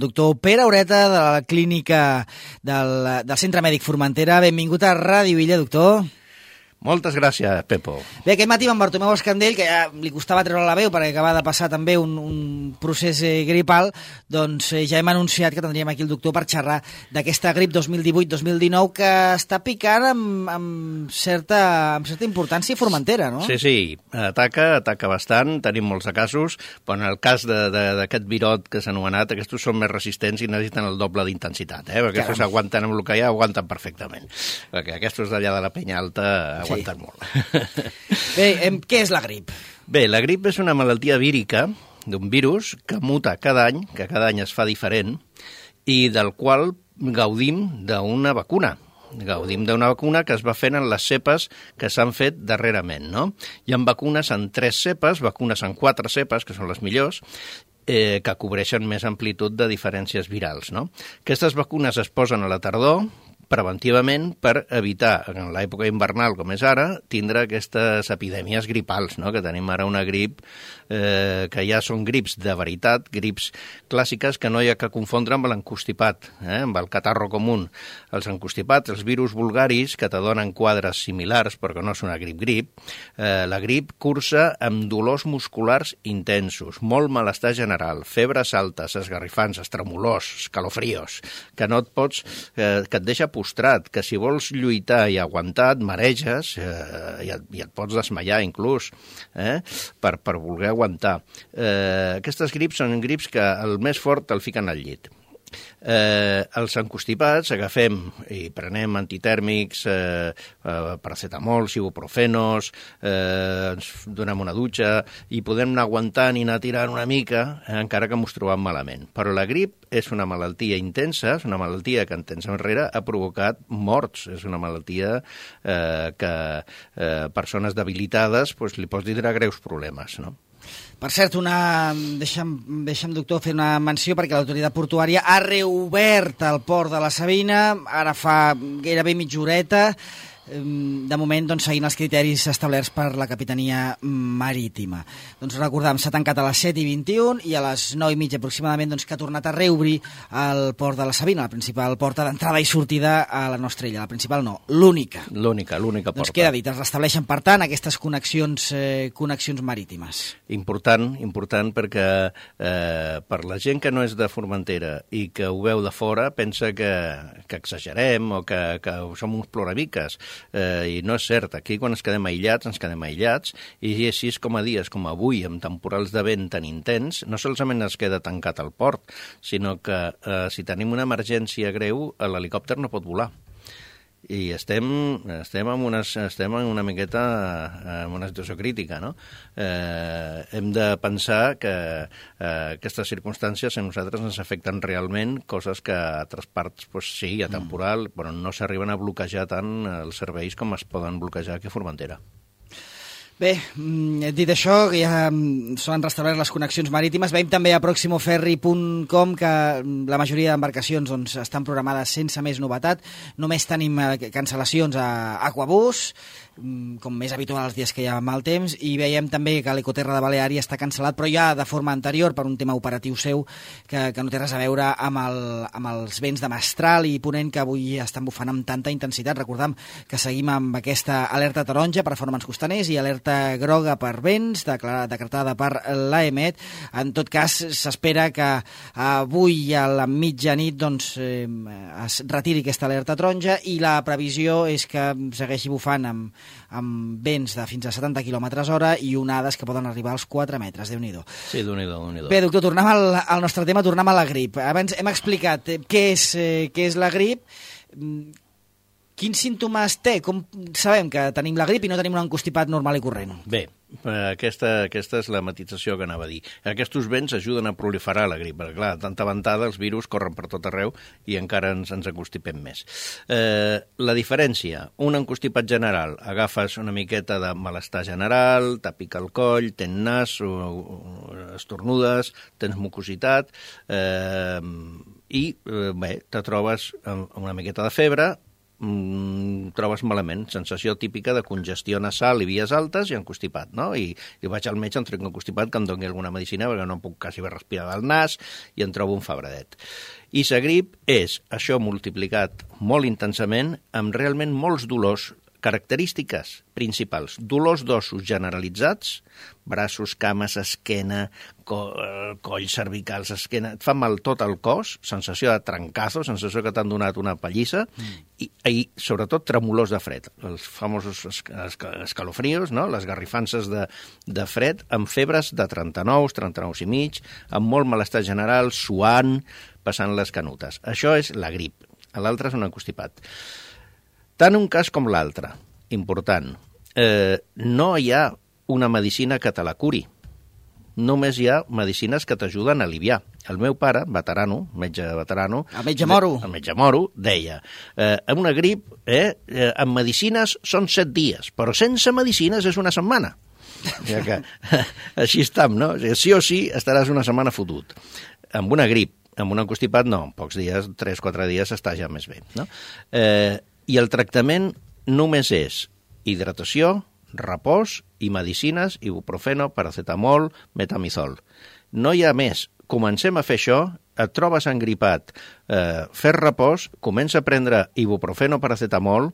Doctor Pere Aureta, de la clínica del Centre Mèdic Formentera. Benvingut a Ràdio Illa, doctor. Moltes gràcies, Pepo. Bé, aquest matí amb Bartomeu Escandell, que ja li costava treure la veu perquè acaba de passar també un procés gripal, doncs ja hem anunciat que tindríem aquí el doctor per xerrar d'aquesta grip 2018-2019 que està picant amb certa importància i Formentera, no? Sí, ataca bastant, tenim molts de casos, però en el cas d'aquest virot que s'ha anomenat, aquests són més resistents i necessiten el doble d'intensitat, perquè aquests aguanten amb el que hi ha, aguanten perfectament, perquè aquests d'allà de la Penya Alta aguanten molt. Bé, què és la grip? Bé, la grip és una malaltia vírica d'un virus que muta cada any, que cada any es fa diferent, i del qual gaudim d'una vacuna. Gaudim d'una vacuna que es va fent en les cepes que s'han fet darrerament, no? Hi ha vacunes en 3 cepes, vacunes en 4 cepes, que són les millors, que cobreixen més amplitud de diferències virals, no? Aquestes vacunes es posen a la tardor, preventivament, per evitar, en l'època invernal com és ara, tindre aquestes epidèmies gripals, no? Que tenim ara una grip que ja són grips de veritat, grips clàssiques que no hi ha que confondre amb l'encostipat, amb el catarro comú. Els encostipats, els virus vulgaris, que te donen quadres similars, perquè no és una grip, la grip cursa amb dolors musculars intensos, molt malestar general, febres altes, esgarrifants, estremolors, escalofrios, que no et pots, que et deixa postrat, que si vols lluitar i aguantar et mareges i et pots desmaiar inclús per voler aguantar. Aquestes grips són grips que el més fort el fiquen al llit. Els encostipats agafem i prenem antitèrmics, paracetamol, ibuprofenos, ens donem una dutxa i podem anar aguantant i anar tirant una mica, encara que ens trobem malament. Però la grip és una malaltia intensa, és una malaltia que en temps enrere ha provocat morts, és una malaltia que persones debilitades li pots dir greus problemes, no? Per cert, deixa'm, doctor, fer una menció perquè l'autoritat portuària ha reobert el port de la Sabina, ara fa gairebé mitja horeta, de moment doncs, seguint els criteris establerts per la Capitania Marítima. Doncs recordem, s'ha tancat a les 7:21 i a les 9:30 aproximadament doncs, que ha tornat a reobrir el port de la Sabina, la principal porta d'entrada i sortida a la nostra illa. La principal no, l'única. L'única porta. Doncs queda dit, es restableixen per tant aquestes connexions marítimes. Important perquè per la gent que no és de Formentera i que ho veu de fora pensa que exagerem o que som uns ploramiques. I no és cert, aquí quan ens quedem aïllats i així com a dies com avui amb temporals de vent tan intens no solament es queda tancat el port, sinó que si tenim una emergència greu l'helicòpter no pot volar i estem en una miqueta en una situació crítica, no? Hem de pensar que aquestes circumstàncies a nosaltres ens afecten realment, coses que a altres parts, sí, hi ha temporal, però no s'arriben a bloquejar tant els serveis com es poden bloquejar aquí a Formentera. Bé, dit això, que ja s'han restablert les connexions marítimes, veiem també a proximoferri.com que la majoria d'embarcacions doncs, estan programades sense més novetat. Només tenim cancel·lacions a Aquabús, com més habitual els dies que hi ha mal temps, i veiem també que l'Ecoterra de Baleària està cancel·lat, però ja de forma anterior per un tema operatiu seu que no té res a veure amb els vents de mestral i ponent que avui estan bufant amb tanta intensitat. Recordem que seguim amb aquesta alerta taronja per formants costaners i alerta groga per vents, decretada per l'AEMET. En tot cas, s'espera que avui a la mitjanit doncs, es retiri aquesta alerta taronja i la previsió és que segueixi bufant amb vents de fins a 70 km/h i onades que poden arribar als 4 metres. Déu-n'hi-do. Sí, Déu-n'hi-do. Bé, doctor, tornem al nostre tema, tornem a la grip. Abans hem explicat què és la grip. Quins símptomes té? Com sabem que tenim la grip i no tenim un encostipat normal i corrent? Bé, aquesta és la matització que anava a dir. Aquests vents ajuden a proliferar la grip, perquè clar, tanta ventada, els virus corren per tot arreu i encara ens encostipem més. La diferència, un encostipat general, agafes una miqueta de malestar general, te pica el coll, tens nas, estornudes, tens mucositat, i bé, te trobes amb una miqueta de febre, trobes malament. Sensació típica de congestió nasal i vies altes i encostipat, no? I vaig al metge, em trec un encostipat que em doni alguna medicina perquè no puc quasi bé respirar del nas i em trobo un febredet. I la grip és això multiplicat molt intensament amb realment molts dolors, característiques principals, dolors d'ossos generalitzats, braços, cames, esquena, coll, cervicals, esquena, et fa mal tot el cos, sensació de trencazo, sensació que t'han donat una pallissa, i sobretot tremolors de fred, els famosos escalofrios, no? Les garrifances de fred, amb febres de 39 i mig, amb molt malestar general, suant, passant les canutes. Això és la grip, l'altre és un encostipat. Tant un cas com l'altre, important, no hi ha una medicina que te la curi. Només hi ha medicines que t'ajuden a aliviar. El meu pare, veterano, metge veterano... El metge moro. El metge moro deia, amb una grip, amb medicines són 7 dies, però sense medicines és una setmana. Ja que així estam, no? Sí o sí estaràs una setmana fotut. Amb una grip, amb un encostipat, no, en pocs dies, 3-4 dies, està ja més bé, no? I el tractament només és hidratació, repòs i medicines, ibuprofeno, paracetamol, metamizol. No hi ha més. Comencem a fer això, et trobes engripat, fes repòs, comença a prendre ibuprofeno, paracetamol,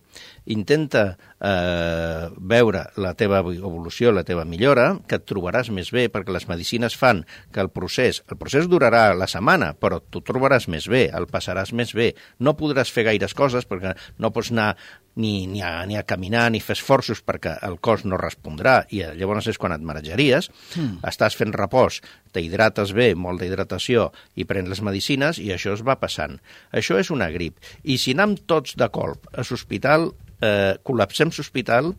intenta veure la teva evolució, la teva millora, que et trobaràs més bé, perquè les medicines fan que el procés durarà la setmana, però tu trobaràs més bé, el passaràs més bé. No podràs fer gaires coses, perquè no pots anar ni a caminar, ni fer esforços perquè el cos no respondrà, i llavors és quan et marejaries. Estàs fent repòs, t'hidrates bé, molta hidratació, i prens les medicines, i això es va passant. Això és una grip. I si anem tots de colp a l'hospital, col·lapsem l'hospital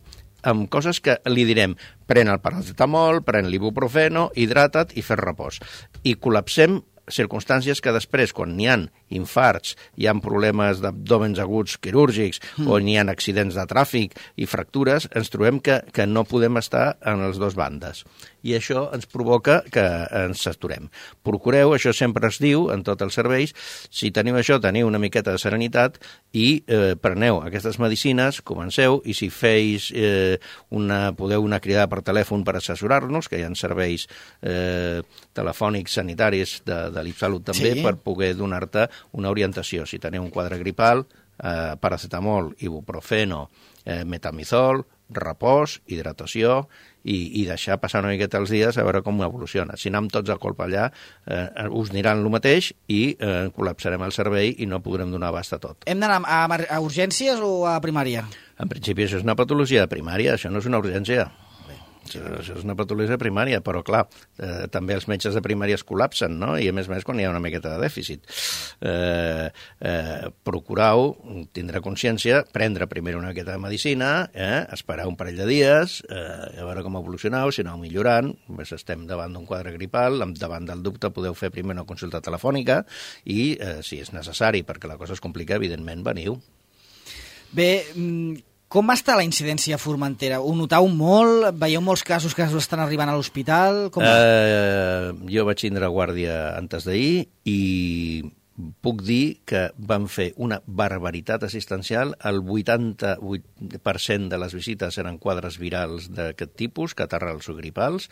amb coses que li direm, pren el paracetamol, pren l'ibuprofeno, hidrata't i fes repòs. I col·lapsem circumstàncies que després, quan n'hi ha infarts, hi ha problemes d'abdòmens aguts quirúrgics o n'hi ha accidents de tràfic i fractures, ens trobem que no podem estar en les dues bandes. I això ens provoca que ens saturem. Procureu, això sempre es diu en tots els serveis, si teniu això, teniu una miqueta de serenitat i preneu aquestes medicines, comenceu, i si podeu una cridada per telèfon per assessorar-nos, que hi ha serveis telefònics sanitaris de l'Ipsalut també, sí, per poder donar-te una orientació. Si teniu un quadre gripal, paracetamol, ibuprofeno, metamizol, repòs, hidratació i deixar passar una miqueta els dies a veure com evoluciona. Si anem tots a colp allà, us aniran el mateix i col·lapsarem el servei i no podrem donar abast a tot. Hem d'anar a urgències o a primària? En principi això és una patologia de primària, això no és una urgència. Això és una patologia primària, però clar, també els metges de primària es col·lapsen, no? I a més quan hi ha una miqueta de dèficit. Procurau tindre consciència, prendre primer una miqueta de medicina, esperar un parell de dies, a veure com evolucioneu, si aneu millorant, estem davant d'un quadre gripal, davant del dubte podeu fer primer una consulta telefònica i, si és necessari, perquè la cosa es complica, evidentment, veniu. Bé, com està la incidència a Formentera? Ho notau molt? Veieu molts casos que estan arribant a l'hospital? Jo vaig tindre guàrdia antes d'ahir i puc dir que van fer una barbaritat assistencial. El 88% de les visites eren quadres virals d'aquest tipus, catarrals o gripals,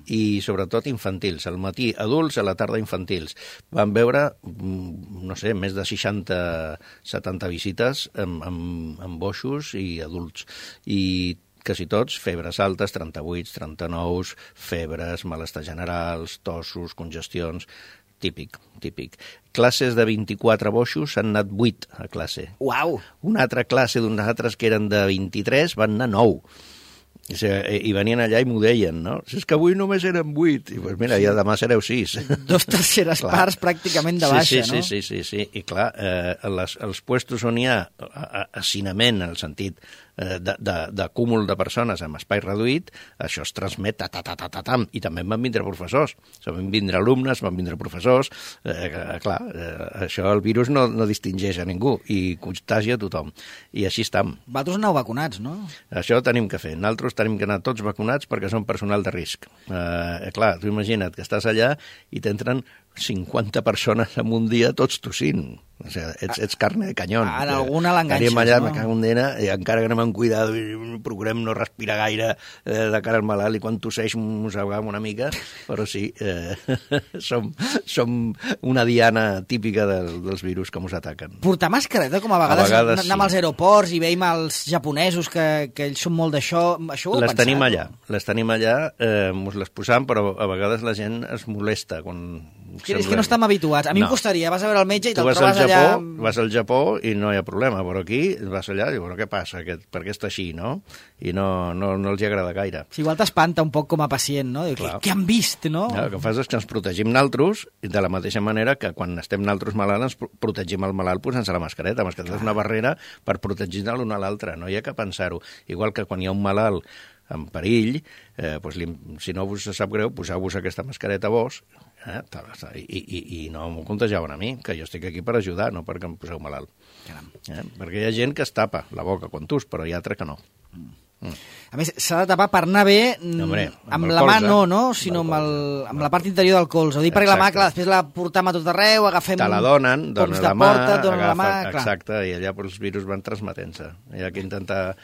i sobretot infantils. Al matí adults, a la tarda infantils. Van veure, no sé, més de 60-70 visites amb boixos i adults. I quasi tots, febres altes, 38, 39, febres, malestar generals, tossos, congestions... Típic. Classes de 24 boixos han anat 8 a classe. Uau! Una altra classe d'uns altres que eren de 23 van anar 9. I venien allà i m'ho deien, no? Si és que avui només eren 8. I doncs mira, ja demà sereu 6. 2/3 parts pràcticament de baixa, no? Sí. I clar, els puestos on hi ha hacinament, en el sentit de cúmul de persones amb espai reduït, això es transmet i també van vindre professors, van vindre alumnes, van vindre professors, clar, això el virus no distingeix a ningú i contagia a tothom, i així estam. Vosaltres aneu vacunats, no? Això tenim que fer, nosaltres tenim que anar tots vacunats perquè som personal de risc. Clar, tu imagina't que estàs allà i t'entren 50 persones en un dia, tots tossint. O sigui, ets carne de canyón. En alguna l'enganxes, allà, no? Me cago en dena, i encara que anem amb cuidado i procurem no respirar gaire de cara al malalt, i quan tosseix mossegam una mica, però sí, som una diana típica dels virus que ens ataquen. Portar mascareta, com a vegades anem als aeroports i veiem els japonesos que ells són molt d'això, això ho heu pensat? Les tenim allà, ens les posam, però a vegades la gent es molesta quan... És que no estem habituats. A mi em costaria, vas a veure el metge i te'l trobes allà... Vas al Japó i no hi ha problema, però aquí vas allà i dius, què passa? Per què està així, no? I no els hi agrada gaire. Sí, igual t'espanta un poc com a pacient, no? Què han vist, no? El que fas és que ens protegim naltros de la mateixa manera que quan estem naltros malalts ens protegim el malalt posant-se la mascareta. La mascareta és una barrera per protegir-ne l'un a l'altre, no hi ha que pensar-ho. Igual que quan hi ha un malalt en perill, si no us sap greu, poseu-vos aquesta mascareta a vos i no m'ho contagiaven a mi, que jo estic aquí per ajudar, no perquè em poseu malalt. Perquè hi ha gent que es tapa la boca quan tus, però hi ha altres que no. A més, s'ha de tapar per anar bé amb la mà no, sinó amb la part interior del colze. Ho dic perquè la mà, clar, després la portam a tot arreu, agafem... Te la donen la mà, exacte, i allà els virus van transmetent-se. Hi ha que intentar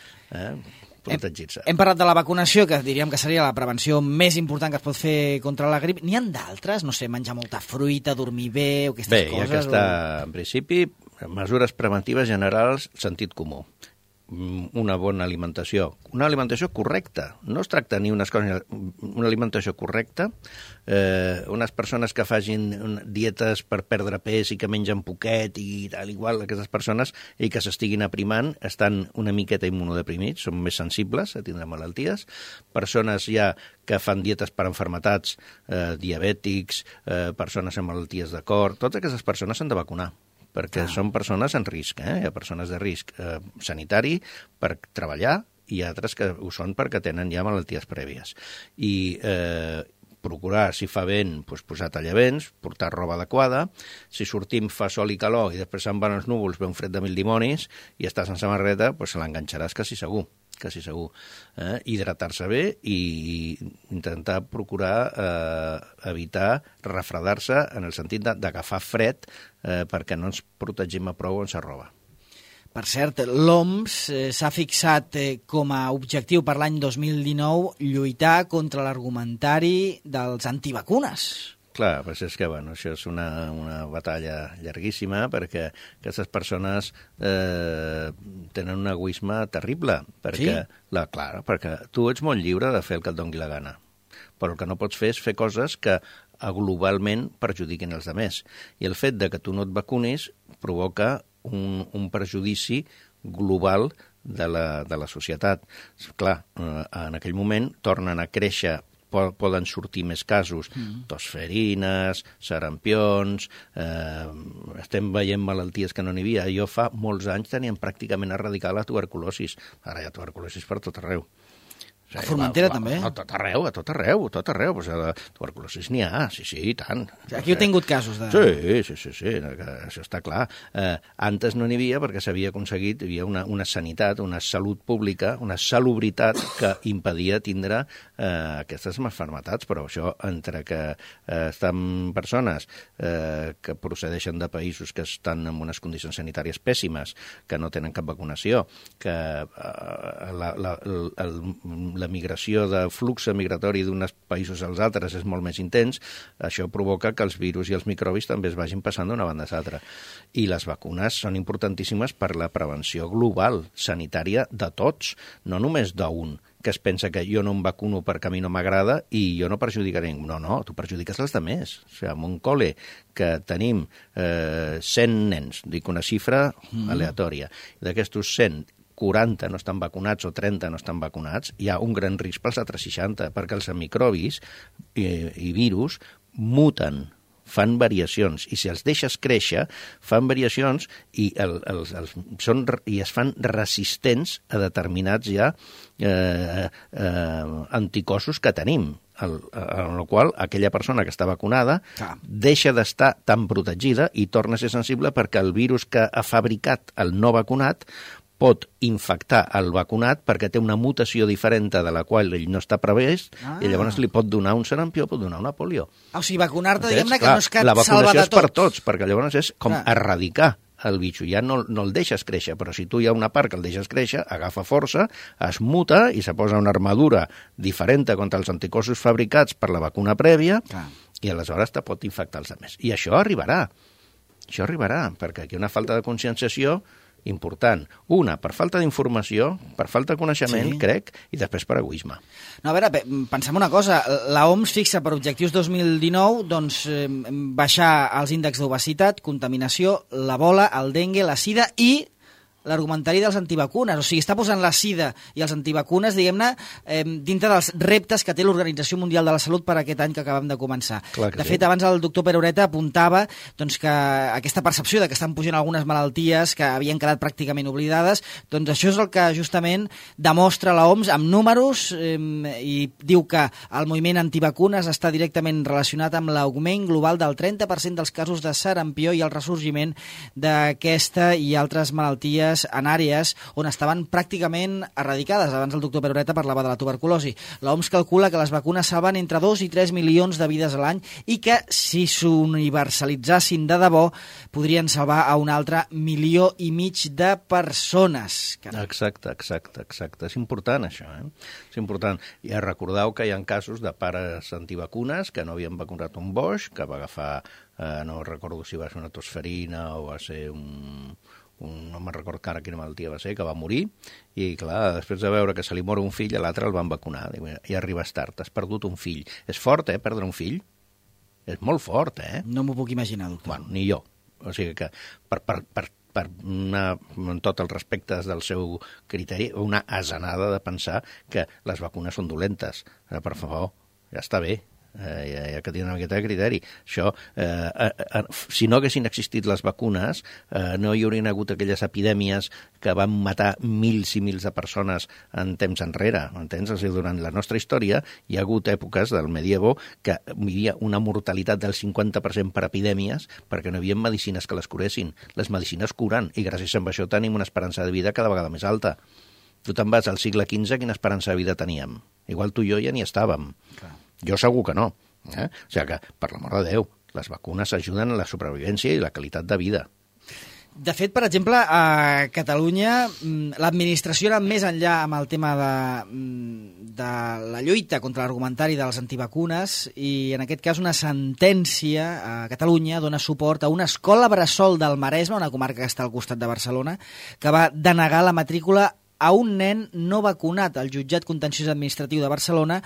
protegir-se. Hem parlat de la vacunació, que diríem que seria la prevenció més important que es pot fer contra la grip. N'hi ha d'altres? No sé, menjar molta fruita, dormir bé, o aquestes coses? Bé, en principi, mesures preventives generals, sentit comú. Una bona alimentació. Una alimentació correcta. No es tracta ni unes coses... Una alimentació correcta. Unes persones que facin dietes per perdre pes i que mengen poquet i tal, igual, aquestes persones, i que s'estiguin aprimant, estan una miqueta immunodeprimits, són més sensibles a tindre malalties. Persones ja que fan dietes per enfermetats, diabètics, persones amb malalties de cor, totes aquestes persones s'han de vacunar, perquè són persones en risc. Hi ha persones de risc sanitari per treballar i altres que ho són perquè tenen ja malalties prèvies. I procurar, si fa vent, posar tallavents, portar roba adequada. Si sortim fa sol i calor i després se'n van els núvols, ve un fred de mil dimonis i estàs en samarreta, se l'enganxaràs quasi segur. Hidratar-se bé i intentar procurar evitar refredar-se en el sentit d'agafar fred perquè no ens protegim a prou on se roba. Per cert, l'OMS s'ha fixat com a objectiu per l'any 2019 lluitar contra l'argumentari dels antivacunes. Clar, però és que això és una batalla llarguíssima perquè aquestes persones tenen un egoisme terrible. Perquè, sí? Perquè tu ets molt lliure de fer el que et doni la gana, però el que no pots fer és fer coses que globalment perjudiquin els altres. I el fet de que tu no et vacunis provoca un perjudici global de la societat. Clar, en aquell moment tornen a créixer, poden sortir més casos, tosferines, sarampions, estem veient malalties que no n'hi havia. Jo fa molts anys teníem pràcticament erradicar la tuberculosi. Ara hi ha tuberculosi per tot arreu. A Formentera també? A tot arreu. Pues la tuberculosi n'hi ha, sí, i tant. Aquí heu tingut casos de... Sí, això està clar. Antes no n'hi havia perquè s'havia aconseguit, hi havia una sanitat, una salut pública, una salubritat que impedia tindre aquestes malalties, però això entre que estan persones que procedeixen de països que estan en unes condicions sanitàries pèssimes, que no tenen cap vacunació, que la migració de flux migratori d'uns països als altres és molt més intens, això provoca que els virus i els microbis també es vagin passant d'una banda a l'altra. I les vacunes són importantíssimes per la prevenció global, sanitària de tots, no només d'un, que es pensa que jo no em vacuno perquè a mi no m'agrada i jo no perjudicaré ningú. No, tu perjudiques els altres. O sigui, en un col·le que tenim 100 nens, dic una xifra aleatòria, d'aquestos 100, 40 no estan vacunats o 30 no estan vacunats, hi ha un gran risc pels altres 60, perquè els microbis i virus muten, fan variacions, i si els deixes créixer, fan variacions i es fan resistents a determinats ja anticossos que tenim, en el qual aquella persona que està vacunada deixa d'estar tan protegida i torna a ser sensible perquè el virus que ha fabricat el no vacunat pot infectar el vacunat perquè té una mutació diferent de la qual ell no està previst i llavors li pot donar un sarampió, pot donar una polio. O sigui, vacunar-te, diguem-ne, que no és que et la salva vacunació de és per tot. tots, perquè llavors és com erradicar el bitxo. Ja no el deixes créixer, però si tu hi ha una part que el deixes créixer, agafa força, es muta i se posa una armadura diferent contra els anticossos fabricats per la vacuna prèvia i aleshores te pot infectar els altres. I això arribarà. Això arribarà, perquè aquí hi ha una falta de conscienciació important. Una, per falta d'informació, per falta de coneixement, crec, i després per egoisme. No, a veure, pensem una cosa. La OMS fixa per objectius 2019 doncs, baixar els índexs d'obesitat, contaminació, l'ebola, el dengue, la sida i l'argumentari dels antivacunes. O sigui, està posant la sida i els antivacunes, diguem-ne, dintre dels reptes que té l'Organització Mundial de la Salut per aquest any que acabem de començar. De fet, abans el doctor Perureta apuntava doncs, que aquesta percepció de que estan pujant algunes malalties que havien quedat pràcticament oblidades, doncs això és el que justament demostra la OMS amb números i diu que el moviment antivacunes està directament relacionat amb l'augment global del 30% dels casos de sarampió i el ressorgiment d'aquesta i altres malalties en àrees on estaven pràcticament erradicades. Abans el doctor Perureta parlava de la tuberculosi. L'OMS calcula que les vacunes salven entre 2 i 3 milions de vides a l'any i que si s'universalitzassin de debò podrien salvar a un altre 1,5 milions de persones. Exacte. És important això, És important. I recordeu que hi ha casos de pares antivacunes que no havien vacunat un boix, que va agafar, no recordo si va ser una tosferina o va ser no me'n recordo ara quina malaltia va ser, que va morir, i clar, després de veure que se li mor un fill, a l'altre el van vacunar. I arribes tard, has perdut un fill. És fort, perdre un fill? És molt fort, No m'ho puc imaginar, doctor. Bueno, ni jo. O sigui que amb tot el respecte del seu criteri, una asenada de pensar que les vacunes són dolentes. Per favor, ja està bé. Ja que tenen una miqueta de criteri. Això, si no haguessin existit les vacunes, no hi haurien hagut aquelles epidèmies que van matar mils i mils de persones en temps enrere, entens? O sigui, durant la nostra història hi ha hagut èpoques del medievo que hi havia una mortalitat del 50% per epidèmies perquè no hi havia medicines que les curessin. Les medicines curen i gràcies a això tenim una esperança de vida cada vegada més alta. Tu te'n vas al segle XV, quina esperança de vida teníem? Igual tu i jo ja n'hi estàvem. Clar. Jo segur que no. O sigui que, per l'amor de Déu, les vacunes ajuden a la supervivència i la qualitat de vida. De fet, per exemple, a Catalunya l'administració era més enllà amb el tema de la lluita contra l'argumentari dels antivacunes i en aquest cas una sentència a Catalunya dona suport a una escola bressol del Maresme, una comarca que està al costat de Barcelona, que va denegar la matrícula a un nen no vacunat. El jutjat contenciós administratiu de Barcelona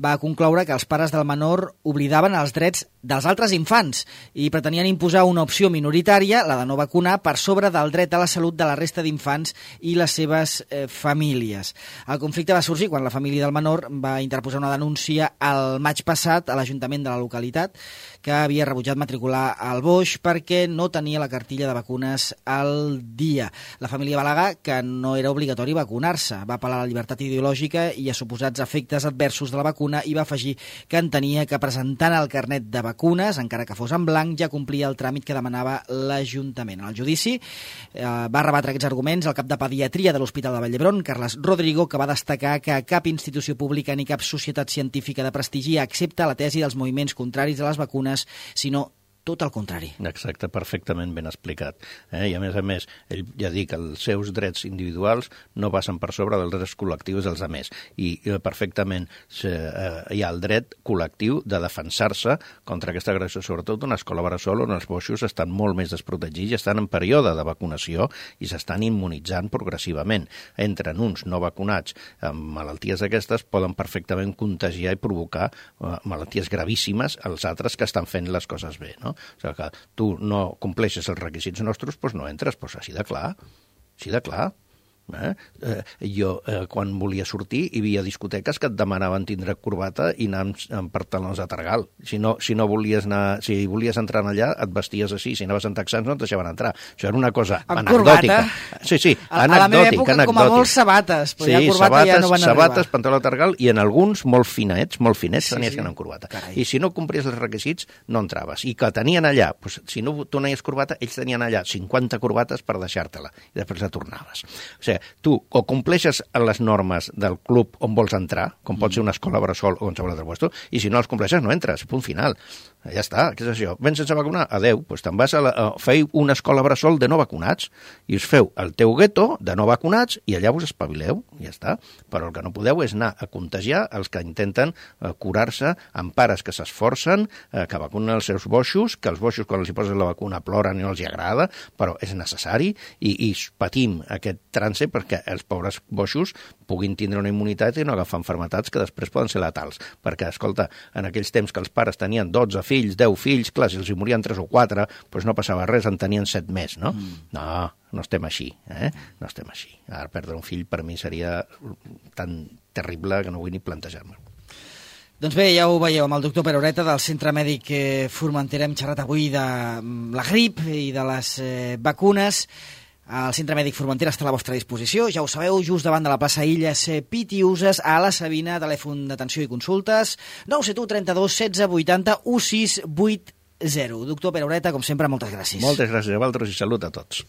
va concloure que els pares del menor oblidaven els drets dels altres infants i pretenien imposar una opció minoritària, la de no vacunar, per sobre del dret a la salut de la resta d'infants i les seves famílies. El conflicte va sorgir quan la família del menor va interposar una denúncia al maig passat a l'Ajuntament de la localitat que havia rebutjat matricular el boix perquè no tenia la cartilla de vacunes al dia. La família va al·legar que no era obligatori vacunar-se. Va apel·lar a la llibertat ideològica i a suposats efectes adversos de la vacuna i va afegir que entenia que presentant el carnet de vacunes, encara que fos en blanc, ja complia el tràmit que demanava l'Ajuntament. En el judici va rebatre aquests arguments el cap de pediatria de l'Hospital de Vall d'Hebron, Carles Rodrigo, que va destacar que cap institució pública ni cap societat científica de prestigi accepta la tesi dels moviments contraris a les vacunes, sinó tot el contrari. Exacte, perfectament ben explicat. I a més, ell ja dic que els seus drets individuals no passen per sobre dels drets col·lectius dels altres. I perfectament hi ha el dret col·lectiu de defensar-se contra aquesta agressió, sobretot una escola bressol on els boixos estan molt més desprotegits i estan en període de vacunació i s'estan immunitzant progressivament. Entren uns no vacunats amb malalties d'aquestes, poden perfectament contagiar i provocar malalties gravíssimes als altres que estan fent les coses bé, no? O sigui que tu no compleixes els requisits nostres, doncs no entres, doncs així de clar. Jo, quan volia sortir, hi havia discoteques que et demanaven tindre corbata i anar amb pantalons de targal. Si volies entrar allà, et vesties així. Si anaves en texans, no et deixaven entrar. Això era una cosa anecdòtica. Sí, anecdòtica. A la meva època, com a molts sabates. Sí, sabates, pantaló de targal, i en alguns molt finets, tenies que anar amb corbata. I si no complies els requisits, no entraves. I que tenien allà, si no tu anaves corbata, ells tenien allà 50 corbates per deixar-te-la, i després la tornaves. O sigui, perquè tu o compleixes les normes del club on vols entrar, com pot ser una escola bressol o qualsevol altre lloc, i si no els compleixes no entres, punt final. Ja està, què és això? Vens sense vacunar? Adeu, doncs te'n vas feu una escola bressol de no vacunats i us feu el teu gueto de no vacunats i allà us espavileu, ja està. Però el que no podeu és anar a contagiar els que intenten curar-se amb pares que s'esforcen, que vacunen els seus boixos, que els boixos quan els hi posen la vacuna ploren i no els hi agrada, però és necessari i patim aquest trànsit perquè els pobres boixos puguin tindre una immunitat i no agafar malalties que després poden ser letals. Perquè, escolta, en aquells temps que els pares tenien 12 fills, 10 fills, clar, si els hi morien 3 o 4, doncs no passava res, en tenien 7 més, no? No estem així, No estem així. Ara perdre un fill per mi seria tan terrible que no vull ni plantejar-me. Doncs bé, ja ho veieu amb el doctor Peroreta del Centre Mèdic Formentera. Hem xerrat avui de la grip i de les vacunes. El Centre Mèdic Formentera està a la vostra disposició, ja ho sabeu, just davant de la plaça Illes Pitiuses, a la Sabina, telèfon d'atenció i consultes, 971 32 16 80 1680. Doctor Peroreta, com sempre, moltes gràcies. Moltes gràcies a vosaltres i salut a tots.